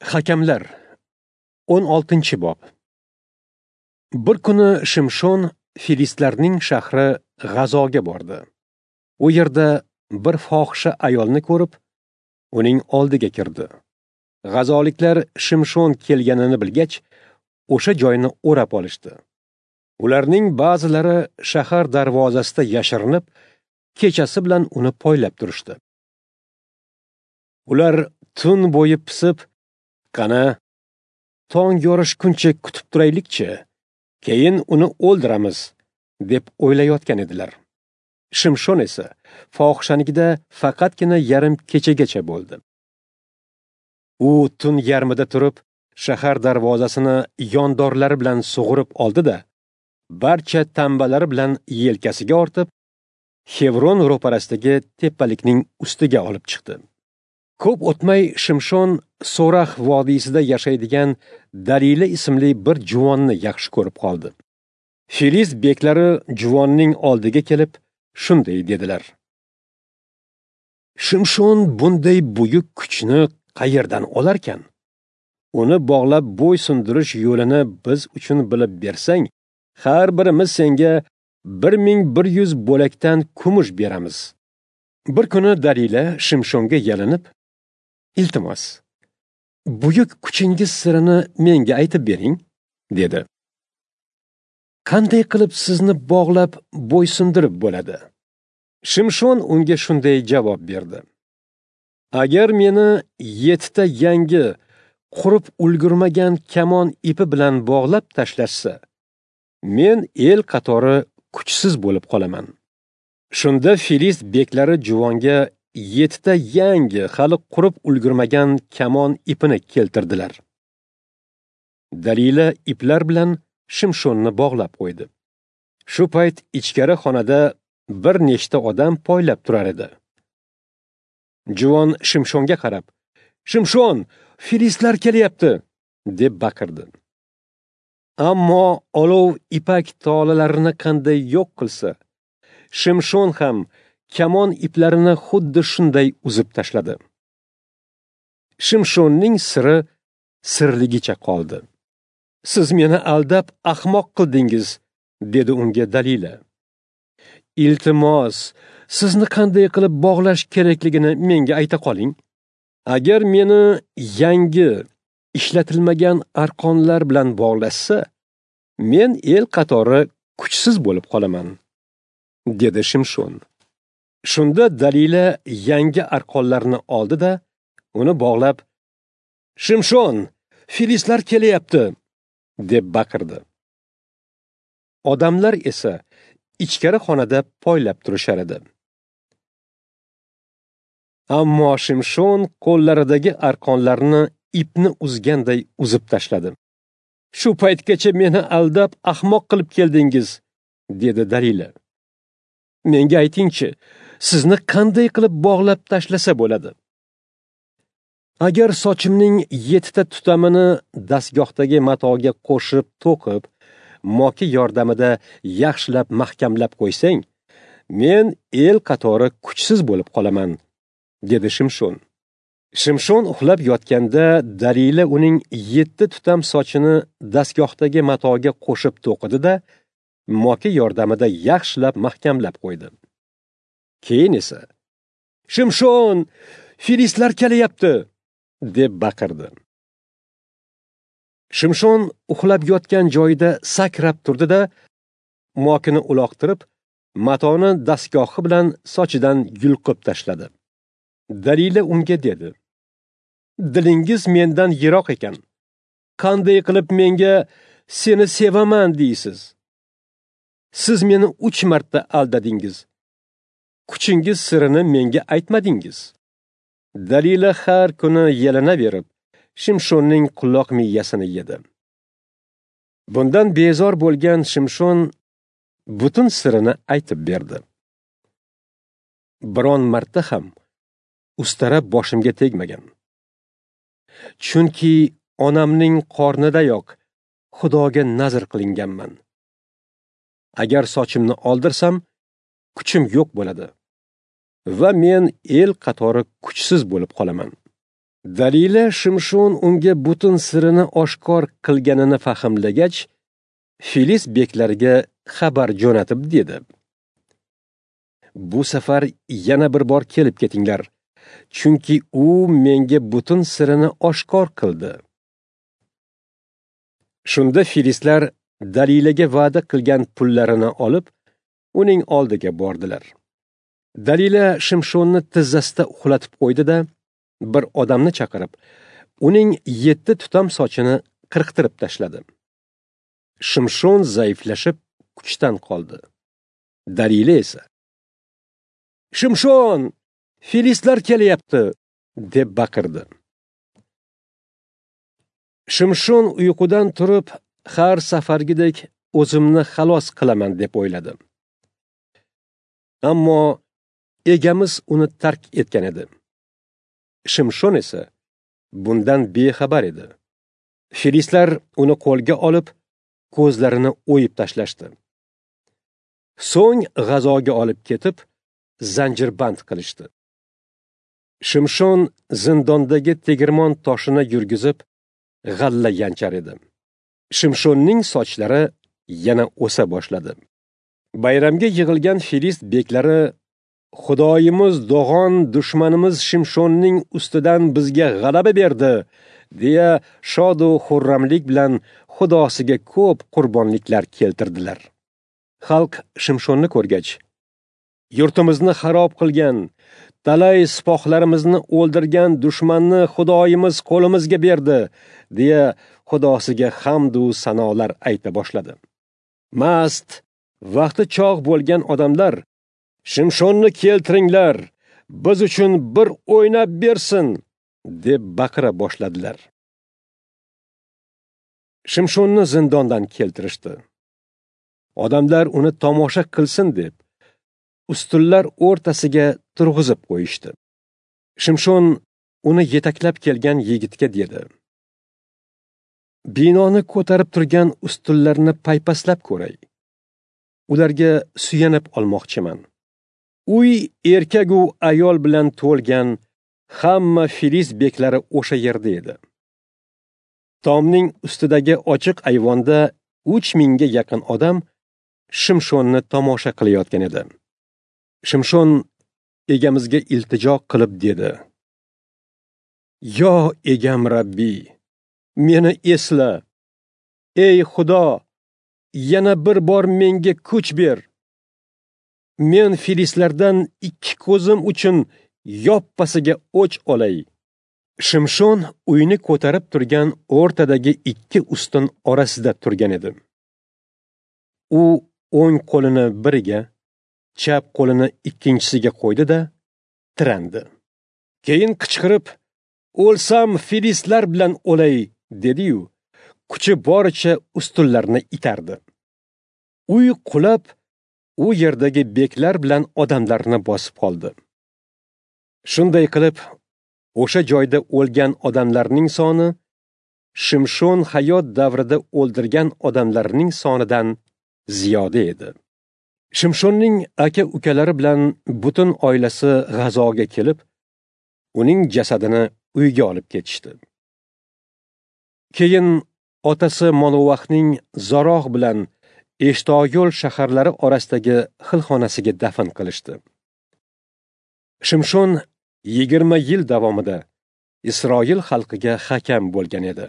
Hakamlar 16-bob. Bir kuni Shimshon filistlarning shahri G'azoga bordi. U yerda bir fohisha ayolni ko'rib, uning oldiga kirdi. G'azoliklar Shimshon kelganini bilgach, o'sha joyni o'rab olishdi. Ularning ba'zilari shahar darvozasida yashirinib, kechasi bilan uni poylab turishdi. Ular tun bo'yi pisib, qani tong yorishguncha kutib turaylikchi, keyin uni o'ldiramiz, deb o'ylayotgan edilar. Shimshon esa fohishanikida faqatgina yarim kechagacha bo'ldi. U tun yarmida turib, shahar darvozasini yondorlari bilan sug'urib oldi-da, barcha tambalari bilan yelkasiga ortib, Xevron ro'parasidagi tepalikning ustiga olib chiqdi. Ko'p o'tmay Shimshon So'rax vodiysida yashaydigan Dalila ismli bir juvonni yaxshi ko'rib qoldi. Filist beklari juvonning oldiga kelib shunday dedilar: Shimshon bunday buyuk kuchni qayerdan olarkan? Uni bog'lab bo'ysundirish yo'lini biz uchun bilib bersang, har birimiz senga 1100 bo'lakdan kumush beramiz. Bir kuni Dalila Shimshonga yalinib, iltimos, buyuk kuchingiz sirini menga aytib bering, dedi. Qanday qilib sizni bog'lab bo'ysundirib bo'ladi? Shimshon unga shunday javob berdi: Agar meni 7 ta yangi, qurib ulgurmagan kamon ipi bilan bog'lab tashlashsa, men el qatori kuchsiz bo'lib qolaman. Shunda filist beklari juvonga 7 ta yangi, hali qurib ulgurmagan kamon ipini keltirdilar. Dalila iplar bilan Shimshonni bog'lab qo'ydi. Shu payt ichkari xonada bir nechta odam poylab turar edi. Juvon Shimshonga qarab, "Shimshon, filistlar kelyapti!" deb baqirdi. Ammo olov ipak tolalarini qanday yo'q qilsa, Shimshon ham kamon iplarini xuddi shunday uzib tashladi. Shimshonning siri sirligicha qoldi. Siz meni aldab ahmoq qildingiz, dedi unga Dalila. Iltimos, sizni qanday qilib bog'lash kerakligini menga ayta qoling. Agar meni yangi, ishlatilmagan arqonlar bilan bog'lashsa, men el qatori kuchsiz bo'lib qolaman, dedi Shimshon. Shunda Dalila yangi arqonlarni oldi-da, uni bog'lab, "Shimshon, filistlar kelyapti!" deb baqirdi. Odamlar esa ichkari xonada poylab turishar edi. Ammo Shimshon qo'llaridagi arqonlarni ipni uzganday uzib tashladi. "Shu paytgacha meni aldab ahmoq qilib keldingiz", dedi Dalila. "Menga aytingchi, sizni qanday qilib bog'lab tashlasa bo'ladi? Agar sochimning 7 ta tutamini dastgohdagi matoga qo'shib to'qib, moki yordamida yaxshilab mahkamlab qo'ysang, men el qatori kuchsiz bo'lib qolaman", dedi Shimshon. Shimshon uxlab yotganda Dalila uning 7 tutam sochini dastgohdagi matoga qo'shib to'qidi-da, moki yordamida yaxshilab mahkamlab qo'ydi. Keyin esa, "Shimshon, filistlar kelyapti!" deb baqirdi. Shimshon uxlab yotgan joyida sakrab turdi-da, mokini uloqtirib, matoni dastgohi bilan sochidan yulqib tashladi. Dalila unga dedi: "Dilingiz mendan yiroq ekan. Qanday qilib menga seni sevaman deysiz? Siz meni 3 marta aldadingiz. Kuchingiz sirini menga aytmadingiz." Dalila har kuni yalinaverib, Shimshonning quloq miyasini yedi. Bundan bezor bo'lgan Shimshon butun sirini aytib berdi. Biron marta ham ustara boshimga tegmagan. Chunki onamning qornidayoq Xudoga nazr qilinganman. Agar sochimni oldirsam, kuchim yo'q bo'ladi va men el qatori kuchsiz bo'lib qolaman. Dalila Shimshon unga butun sirini oshkor qilganini fahmlagach, Filist beklariga xabar jo'natib dedi: Bu safar yana bir bor kelib ketinglar, chunki u menga butun sirini oshkor qildi. Shunda filistlar Dalilaga va'da qilgan pullarini olib, uning oldiga bordilar. Dalila Shimshonni tizzasida uxlatib qo'ydi-da, bir odamni chaqirib, uning 7 tutam sochini qirqtirib tashladi. Shimshon zaiflashib kuchdan qoldi. Dalila esa: "Shimshon, filistlar kelyapti!" deb baqirdi. Shimshon uyqudan turib, har safargidek o'zimni xalos qilaman deb o'yladi. Ammo egamiz uni tark etgan edi. Shimshon esa bundan bexabar edi. Filistlar uni qo'lga olib, ko'zlarini o'yib tashlashdi. So'ng g'azoga olib ketib, zanjirband qilishdi. Shimshon zindondagi tegirmon toshini yurgizib, g'alla yanchar edi. Shimshonning sochlari yana o'sa boshladi. Bayramga yig'ilgan filist beklari: "Xudoyimiz Dog'on dushmanimiz Shimshonning ustidan bizga g'alaba berdi", deya shodu xurramlik bilan xudosiga ko'p qurbonliklar keltirdilar. Xalq Shimshonni ko'rgach, "Yurtimizni xarob qilgan, talay sipohlarimizni o'ldirgan dushmanni Xudoyimiz qo'limizga berdi", deya xudosiga hamd u sanolar ayta boshladi. Mast, vaqti chog' bo'lgan odamlar: "Shimshonni keltiringlar, biz uchun bir o'ynab bersin", deb baqira boshladilar. Shimshonni zindondan keltirishdi. Odamlar uni tomosha qilsin deb ustunlar o'rtasiga turg'izib qo'yishdi. Shimshon uni yetaklab kelgan yigitga dedi: "Binoni ko'tarib turgan ustunlarni paypaslab ko'ray. Ularga suyanib olmoqchiman." Uy erkak u ayol bilan to'lgan, hamma filist beklari o'sha yerda edi. Tomning ustidagi ochiq ayvonda 3000 ga yaqin odam Shimshonni tomosha qilayotgan edi. Shimshon egamizga iltijo qilib dedi: "Yo egam Rabbiy, meni esla. Ey Xudo, yana bir bor menga kuch ber. Men filistlardan 2 ko'zim uchun yoppasiga o'ch olay." Shimshon uyni ko'tarib turgan o'rtadagi 2 ustun orasida turgan edi. U o'ng qo'lini biriga, chap qo'lini ikkinchisiga qo'ydi-da, tirandi. Keyin qichqirib, "O'lsam filistlar bilan o'lay", dedi-yu, kuchi boricha ustunlarni itardi. Uy qulab, u yerdagi beklar bilan odamlarni bosib qoldi. Shunday qilib, o'sha joyda o'lgan odamlarning soni Shimshon hayot davrida o'ldirgan odamlarning sonidan ziyoda edi. Shimshonning aka-ukalari bilan butun oilasi g'azoga kelib, uning jasadini uyga olib ketishdi. Keyin otasi Monovahning Zaroh bilan Eshtoyol shaharlari orasidagi xilxonasiga dafn qilishdi. Shimshon 20 yil davomida Isroil xalqiga hakam bo'lgan edi.